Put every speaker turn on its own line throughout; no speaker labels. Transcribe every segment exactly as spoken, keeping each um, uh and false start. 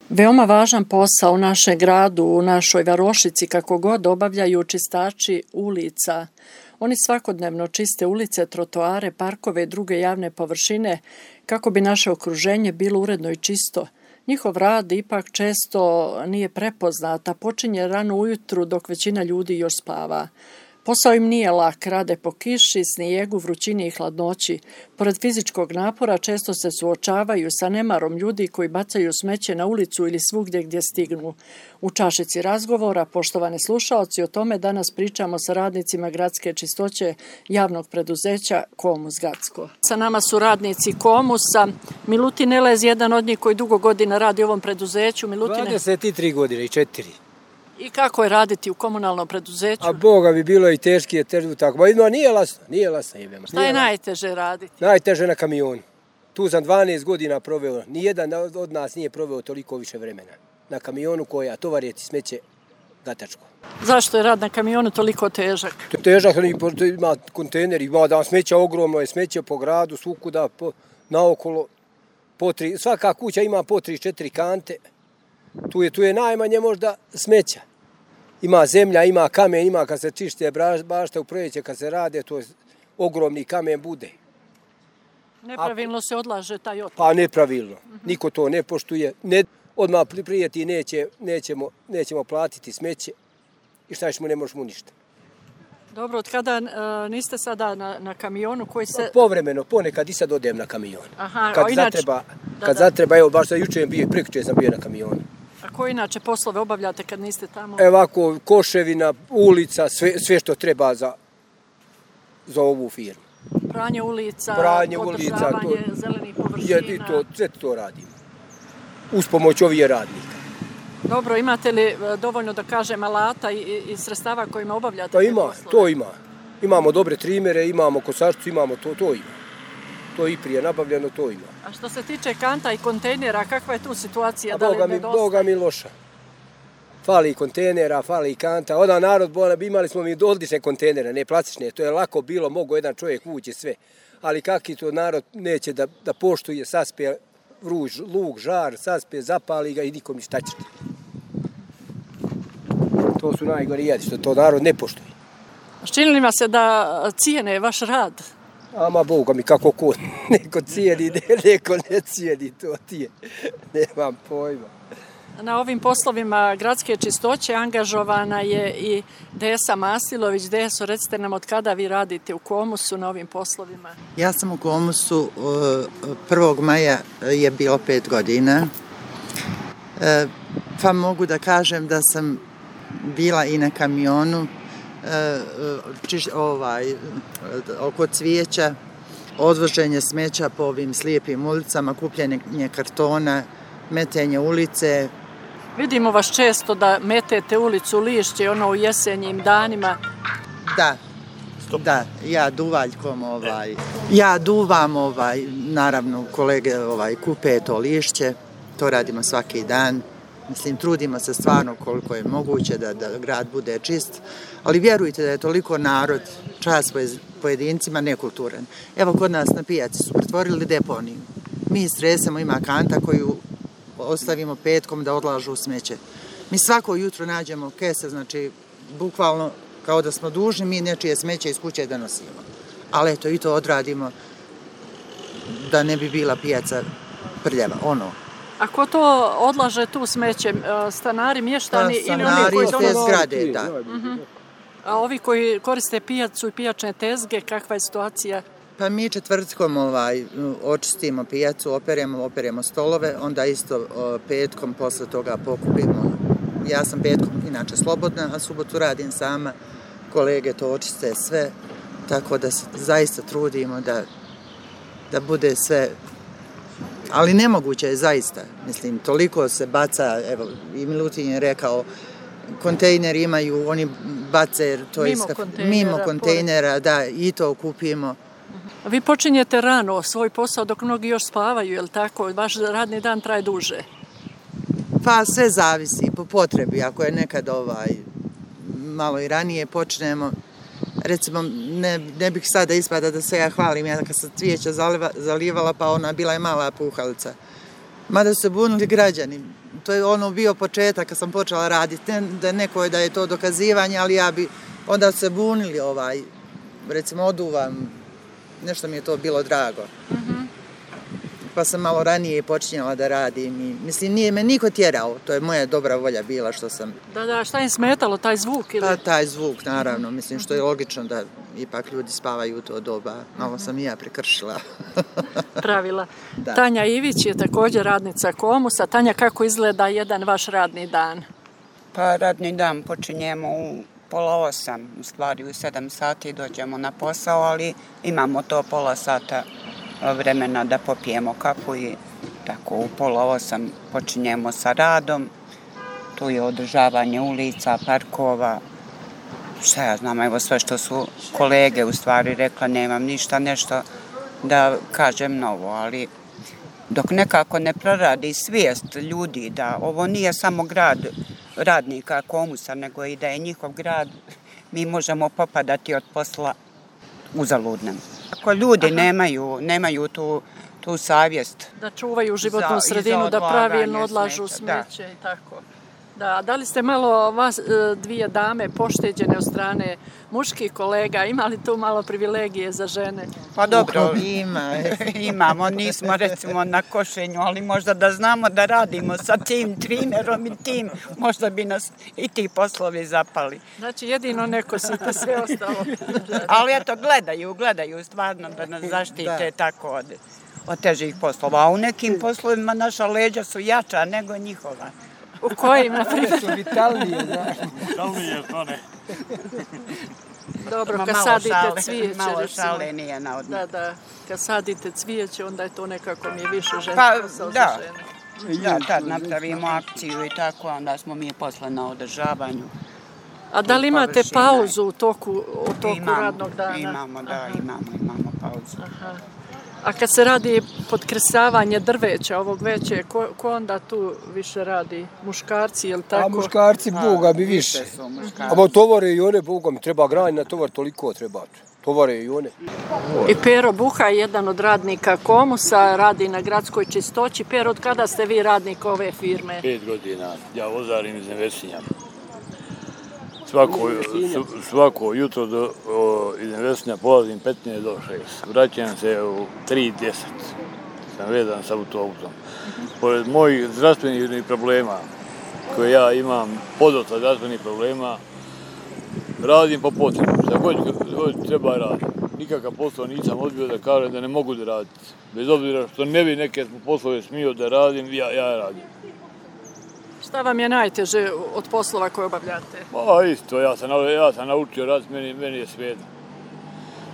Veoma važan posao u našem gradu, u našoj varošici, kako god obavljaju čistači ulica. Oni svakodnevno čiste ulice, trotoare, parkove i druge javne površine kako bi naše okruženje bilo uredno i čisto. Njihov rad ipak često nije prepoznat, a počinje rano ujutru dok većina ljudi još spava. Posao im nije lak, rade po kiši, snijegu, vrućini i hladnoći. Pored fizičkog napora često se suočavaju sa nemarom ljudi koji bacaju smeće na ulicu ili svugdje gdje stignu. U čašici razgovora, poštovani slušaoci, o tome danas pričamo sa radnicima gradske čistoće javnog preduzeća Komus Gacko. Sa nama su radnici Komusa. Milutin Elez, jedan od njih koji dugo godina radi u ovom preduzeću. Milutine...
dvadeset tri godine i četiri.
I kako je raditi u komunalnom preduzeću?
A Boga bi bilo i teški je težu tako. Ma jedno, nije lasno, nije lasno jebema.
Šta je najteže raditi?
Najteže na kamionu. Tu sam dvanaest godina proveo. Nijedan od nas nije proveo toliko više vremena. Na kamionu koja tovarjeti smeće gatačko.
Zašto je rad na kamionu toliko težak?
Težak, ima kontejner, ima da smeća ogromno je, smeće po gradu, svukuda, po, naokolo. Po tri, svaka kuća ima po tri, četiri kante. Tu je, tu je najmanje možda smeća. Ima zemlja, ima kamen, ima kad se čište bašta u proljeće, kad se rade, to je ogromni kamen bude.
Nepravilno A, se odlaže taj otpad.
Pa nepravilno. Uh-huh. Niko to ne poštuje. Ne, odmah prijeti neće, nećemo, nećemo platiti smeće i šta ćemo, ne možemo ništa.
Dobro, od kada uh, niste sada na, na kamionu koji se...
Povremeno, ponekad i sad odem na kamion.
Aha,
kad
o, inače...
zatreba,
da,
kad
da.
zatreba, evo baš da jučer bio, prekjučer sam bio na kamionu.
A koje inače poslove obavljate kad niste tamo?
Evo ovako, koševina, ulica, sve, sve što treba za, za ovu firmu.
Pranje ulica,
Pranje
održavanje
ulica, to,
zelenih površina.
Je, i to, sve to radimo. Uz pomoć ovih radnika.
Dobro, imate li dovoljno, da kažem, alata i, i sredstava kojima obavljate?
Pa ima, to ima. Imamo dobre trimere, imamo kosačicu, imamo to, to ima. To je i prije nabavljeno, to ima.
A što se tiče kanta i kontejnera, kakva je tu situacija?
A
da
Boga,
li
mi, Boga mi loša. Fali kontejnera, fali kanta. Onda narod, imali smo mi odlične kontejnere, ne plastične. To je lako bilo, mogo jedan čovjek ući sve. Ali kakvi to narod neće da, da poštuje, saspe vruž, luk, žar, saspe, zapali ga i nikom ništa će. To su najgori jedi, što to narod ne poštuje.
Čini li vam se da cijene vaš rad?
Ama Boga mi, kako ko, neko cijeni, neko ne cijeni, to ti je, nemam pojma.
Na ovim poslovima gradske čistoće angažovana je i Desa Masilović. Deso, recite nam od kada vi radite u Komusu na ovim poslovima?
Ja sam u Komusu, prvog maja je bilo pet godina, pa mogu da kažem da sam bila i na kamionu, čiš, ovaj, oko cvijeća, odvoženje smeća po ovim slijepim ulicama, kupljenje kartona, metenje ulice.
Vidimo vas često da metete ulicu Lišće, ono u jesenjim danima.
Da, Stop. da, ja duvaljkom, ovaj, ja duvam, ovaj, naravno kolege ovaj, kupe to lišće, to radimo svaki dan. Mislim, trudimo se stvarno koliko je moguće da, da grad bude čist, ali vjerujte da je toliko narod, čas pojedincima, nekulturan. Evo, kod nas na pijaci su pretvorili deponiju. Mi stresamo, ima kanta koju ostavimo petkom da odlažu smeće. Mi svako jutro nađemo kese, znači, bukvalno kao da smo dužni, mi nečije smeće iz kuće da nosimo. Ali eto, i to odradimo da ne bi bila pijaca prljava, ono.
A ko to odlaže tu smeće? Stanari, mještani
pa,
ili oni koji
stanari iz te zgrade, da.
Uh-huh. A ovi koji koriste pijacu i pijačne tezge, kakva je situacija?
Pa mi četvrtkom ovaj, očistimo pijacu, operemo, operemo stolove, onda isto petkom posle toga pokupimo. Ja sam petkom inače slobodna, a subotu radim sama, kolege to očiste sve, tako da se zaista trudimo da, da bude sve. Ali nemoguće je zaista, mislim, toliko se baca, evo, i Milutin je rekao, kontejneri imaju, oni bace, to
mimo
je
kontejnera,
mimo kontejnera, da, i to kupimo.
Vi počinjete rano svoj posao dok mnogi još spavaju, je li tako? Vaš radni dan traje duže?
Pa sve zavisi, po potrebi, ako je nekad ovaj, malo i ranije počnemo, recimo, ne, ne bih sada ispada da se ja hvalim, ja kad sam cvijeća zaliva, zalivala, pa ona bila je mala puhalica. Mada su se bunili građani, to je ono bio početak kad sam počela raditi, ne da nekoj da je to dokazivanje, ali ja bi onda se bunili ovaj, recimo oduvam, nešto mi je to bilo drago. Mm-hmm. Pa sam malo ranije počinjala da radim i mislim nije me niko tjerao, to je moja dobra volja bila što sam...
Da, da, šta im smetalo, taj zvuk ili?
Pa taj zvuk, naravno, mislim što je logično da ipak ljudi spavaju u to doba, malo sam i ja prekršila.
Pravila. Da. Tanja Ivić je također radnica Komusa. Tanja, kako izgleda jedan vaš radni dan?
Pa radni dan počinjemo u pola osam, u stvari u sedam sati dođemo na posao, ali imamo to pola sata vremena da popijemo kafu i tako u pola osam počinjemo sa radom. Tu je održavanje ulica, parkova, šta ja znam, evo sve što su kolege u stvari rekla, nemam ništa nešto da kažem novo, ali dok nekako ne proradi svijest ljudi da ovo nije samo grad radnika Komusa, nego i da je njihov grad, mi možemo popadati od posla uzaludnem. Ako ljudi nemaju, nemaju tu, tu savjest...
Da čuvaju životnu za, sredinu, da pravilno odlažu smeće i tako. Da, da li ste malo vas dvije dame pošteđene od strane muških kolega, imali tu malo privilegije za žene?
Pa dobro, ima. Imamo, nismo recimo na košenju, ali možda da znamo da radimo sa tim trinerom i tim, možda bi nas i ti poslovi zapali.
Znači jedino neko site, sve ostalo.
Ali eto, gledaju, gledaju stvarno da nas zaštite tako od, od težih poslova. A u nekim poslovima naša leđa su jača nego njihova.
U kojim, na primjer?
Su vitalnije, znaš.
Vitalnije, to ne.
Dobro, kad sadite
šale,
cvijeće,
malo
recimo.
šale nije na odmah.
Da, da, kad sadite cvijeće, onda je to nekako mi je više žensko
pa,
posao
da.
za žene.
Da, tad napravimo akciju i tako, onda smo mi posle na održavanju.
A da li imate pauzu u toku, u toku
imamo,
radnog dana?
Imamo, da,
Aha.
imamo, imamo pauzu.
Aha. A kad se radi podkresavanje drveća ovog veće, ko, ko onda tu više radi? Muškarci, je li tako?
A muškarci, Boga mi više. A tovare i one, Boga mi treba granje na tovar, toliko treba. Tovare i one.
I Pero Buha, jedan od radnika Komusa, radi na gradskoj čistoći. Pero, od kada ste vi radnik ove firme?
Pet godina. Ja vozarim iz Nevesinja. Svako, svako jutro do, o, iz Nevesinja polazim petnaest do šest. Vraćam se u tri deset. Sam vezan sa autobusom. Pored mojih zdravstvenih problema, koje ja imam, podosta zdravstvenih problema, radim po potrebu. Šta god, god treba raditi. Nikakav posao nisam odbio da kažem da ne mogu da raditi. Bez obzira što ne bi neke poslove smio da radim, ja, ja radim.
Šta vam je najteže od poslova koje obavljate?
Pa isto, ja sam, ja sam naučio raditi, meni, meni je svejedno.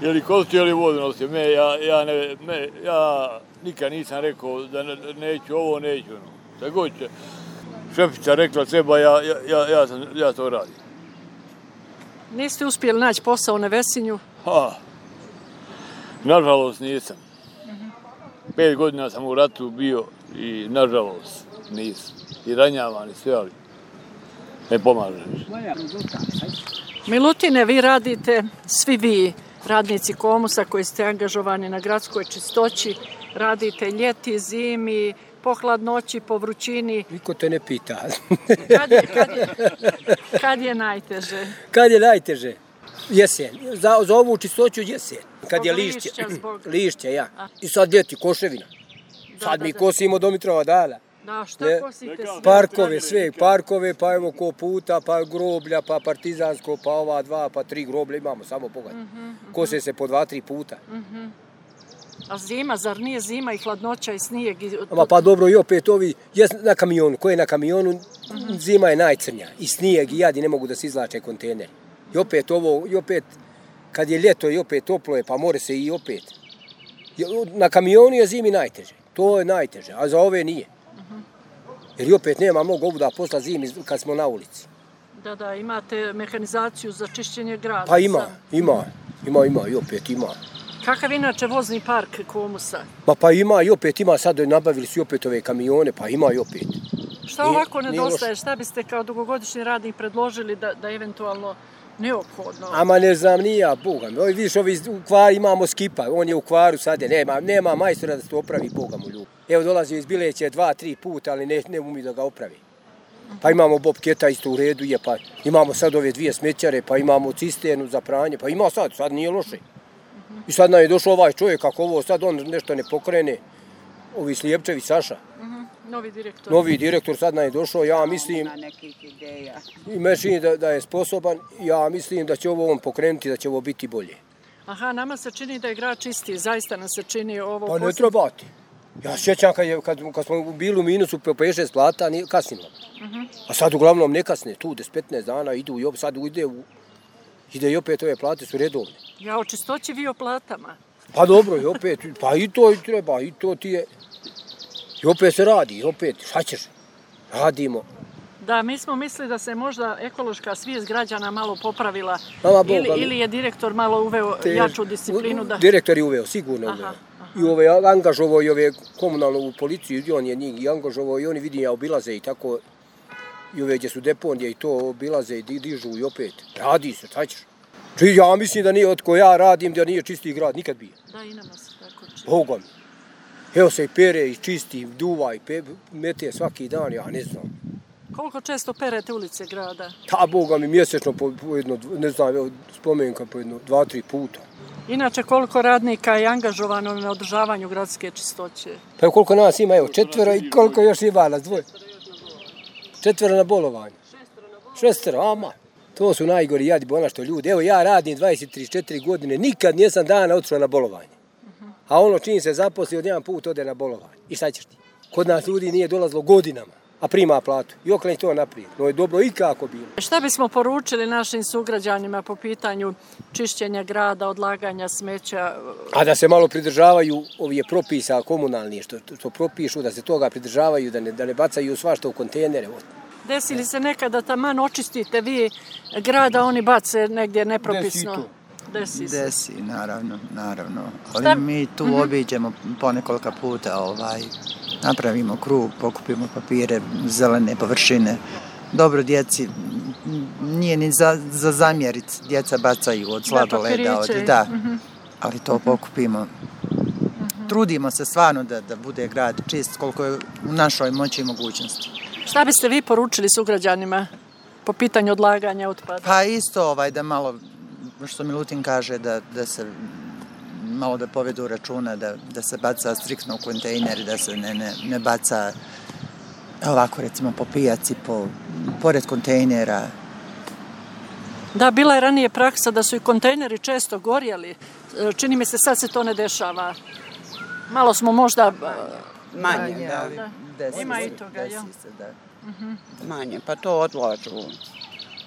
Je li kosti, je li vodu nosio, me, ja, ja, ne, me, ja nikad nisam rekao da ne, neću ovo, neću ono. Šta god će šefica rekla treba, ja, ja, ja, sam, ja to radim.
Niste uspjeli naći posao u Nevesinju?
Ha, nažalost nisam. Pet godina sam u ratu bio i nažalost nisam. I ranjavan i sve, ali ne pomaže.
Milutine, vi radite, svi vi, radnici Komusa koji ste angažovani na gradskoj čistoći, radite ljeti, zimi, po hladnoći, po vrućini.
Niko te ne pita.
Kad je, kad je, kad je najteže?
Kad je najteže? Jesen. Za, za ovu čistoću jesen. Kad
Zbog
je lišće.
lišća, zbog...
Lišće, ja. I sad ljeti, koševina.
Da,
sad
da,
mi
da.
kosimo do Mitrova dana.
Da, šta
ne,
kosite sve?
Parkove, sve, parkove, pa evo ko puta, pa groblja, pa partizansko, pa ova dva, pa tri groblja imamo, samo pogledaj. Mm -hmm, kose se po dva, tri puta.
Mm -hmm. A zima, zar nije zima i hladnoća i snijeg? I...
Ama pa dobro, i opet ovi, jes na kamionu, ko je na kamionu, mm -hmm. zima je najcrnja. I snijeg i jadi ne mogu da se izlače kontejneri. I opet ovo, i opet, kad je ljeto i opet toplo je, pa more se i opet. Na kamionu je zimi najteže, to je najteže, a za ove nije. Jer i opet nema mnogo obuda posla zimi kad smo na ulici.
Da, da, imate mehanizaciju za čišćenje grada.
Pa ima, ima, ima, ima, i opet ima.
Kakav inače vozni park Komusa?
Ma pa ima i opet ima, sad nabavili su i opet ove kamione, pa ima i opet.
Šta ovako nedostaje, šta biste kao dugogodišnji radnik predložili da, da eventualno neophodno?
Ama ne znam, nije ja, Boga mi. Vidiš, ovi u Kvari imamo Skipa, on je u Kvaru sad, nema, nema majstora da se to opravi, Boga mu ljubi. Evo dolazi iz Bileće dva, tri puta, ali ne, ne umi da ga opravi. Pa imamo bobketa isto u redu je, pa imamo sad ove dvije smećare, pa imamo cisternu za pranje, pa ima sad, sad nije loše. I sad nam je došao ovaj čovjek, kako ovo sad on nešto ne pokrene, ovi Slijepčevi Saša.
Novi direktor.
Novi direktor sad nam je došao, ja mislim, i me čini da, da je sposoban, ja mislim da će ovo on pokrenuti, da će ovo biti bolje.
Aha, nama se čini da je grad čisti, zaista nam se čini ovo...
Pa ne trebati. Ja sjećam kad, je, kad, kad smo bili u minusu po pet šest plata, nije kasnilo. Uh-huh. A sad uglavnom ne kasne, tu deset petnaest dana idu i opet sad ide, u, ide i opet ove plate su redovne.
Ja o čistoći vi o platama.
Pa dobro, i opet, pa i to i treba, i to ti je... I opet se radi, i opet, šta ćeš? Radimo.
Da, mi smo mislili da se možda ekološka svijest građana malo popravila.
Mama,
ili,
Boga,
ili je direktor malo uveo te, jaču disciplinu. Da...
Direktor je uveo, sigurno uveo. Aha, aha. I ove, angažovao i ove komunalnu policiju, i on je njih i angažovao i oni vidim ja obilaze i tako. I ove gdje su deponije i to obilaze i dižu i opet. Radi se, šta ćeš? Či ja mislim da nije od ko ja radim, da nije čisti grad, nikad bio.
Da, i nama se tako čisti.
Boga mi. Evo se i pere i čisti, i duva i pe, mete svaki dan, ja ne znam.
Koliko često perete ulice grada?
Ta, Boga mi, mjesečno po, po jedno, ne znam, evo, spomenka po jedno, dva, tri puta.
Inače, koliko radnika je angažovano na održavanju gradske čistoće?
Pa koliko nas ima, evo, četvero i koliko još ima nas, dvoje? Četvero na bolovanju. Šestero, ama. To su najgori jadi bona što ljudi. Evo, ja radim dvadeset tri četiri godine, nikad nisam dana otišao na bolovanje. A ono čim se zaposli, od jedan put ode na bolovanje. I šta ćeš ti? Kod nas ljudi nije dolazilo godinama, a prima platu. I okreni to naprijed. No je dobro i kako bilo.
Šta bismo poručili našim sugrađanima po pitanju čišćenja grada, odlaganja smeća?
A da se malo pridržavaju ovih propisa komunalnih, što, što propišu, da se toga pridržavaju, da ne, da ne bacaju svašta u kontejnere.
Desi li se nekada taman očistite vi grada, oni bace negdje nepropisno?
Desi to.
Desi se.
Desi, naravno, naravno. Ali Šta? mi tu mm-hmm. obiđemo po nekolika puta, ovaj, napravimo krug, pokupimo papire, zelene površine. Dobro, djeci, nije ni za, za zamjerit, djeca bacaju od sladoleda, od, da, mm-hmm. ali to pokupimo. Mm-hmm. Trudimo se stvarno da, da bude grad čist koliko je u našoj moći i mogućnosti.
Šta biste vi poručili sugrađanima po pitanju odlaganja otpada?
Pa isto ovaj, da malo, što Milutin kaže, da, da se malo da povedu računa, da, da se baca striktno u kontejner, da se ne, ne, ne baca ovako recimo po pijaci, po, pored kontejnera.
Da, bila je ranije praksa da su i kontejneri često gorjeli. Čini mi se sad se to ne dešava. Malo smo možda...
Manje, da.
da.
Desi
Ima
se,
i toga,
desi
ja.
se, da.
Uh-huh.
Manje, pa to odlažu.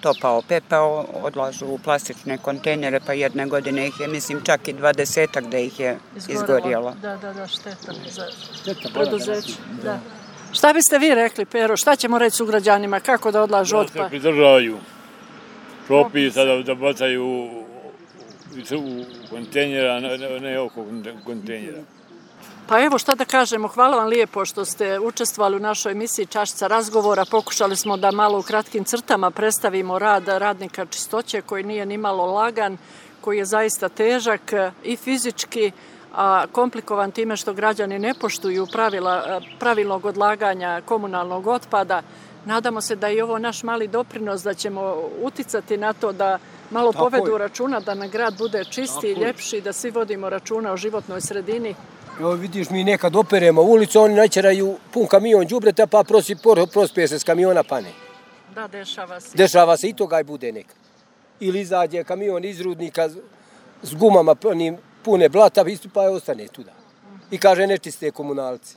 Topao pepeo, odlažu u plastične kontejnere, pa jedne godine ih je, mislim, čak i dvadesetak da ih je izgorjelo.
Da, da, da, šteta za preduzeće. Da. Šta biste vi rekli, Pero, šta ćemo reći sugrađanima, kako da odlažu otpad?
Da se pridržavaju propisa, da, da bacaju u, u kontejnera, ne, ne oko kontejnera.
Pa evo šta da kažemo, hvala vam lijepo što ste učestvovali u našoj emisiji Čašica razgovora. Pokušali smo da malo u kratkim crtama predstavimo rad radnika čistoće koji nije ni malo lagan, koji je zaista težak i fizički, a komplikovan time što građani ne poštuju pravila pravilnog odlaganja komunalnog otpada. Nadamo se da je ovo naš mali doprinos, da ćemo uticati na to da malo Tako povedu je. računa, da na grad bude čisti i ljepši, da svi vodimo računa o životnoj sredini.
Evo vidiš, mi nekad operemo ulicu, oni načeraju pun kamion đubreta, pa prosi, prospije se s kamiona pane.
Da, dešava se.
Dešava se i toga i bude nekad. Ili izađe kamion iz rudnika s gumama pune blata, pa je ostane tuda. I kaže nečiste komunalci.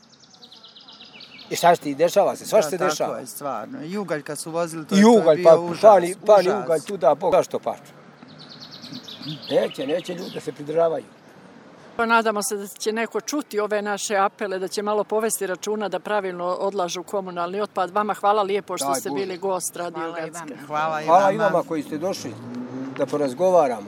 I šta ti, dešava se, svašta se dešava.
Tako je, stvarno. I ugalj kad su vozili, to,
I
to
ugalj,
je bio
pa,
užas.
Pani, pani
užas.
ugalj tuda, Bog, zašto paču? Neće, neće ljudi da se pridržavaju.
Pa nadamo se da će neko čuti ove naše apele, da će malo povesti računa da pravilno odlažu komunalni otpad. Vama hvala lijepo što Daj, ste Bože. bili gost Radio Gradske.
Hvala i vama.
Hvala i vama koji ste došli da porazgovaramo.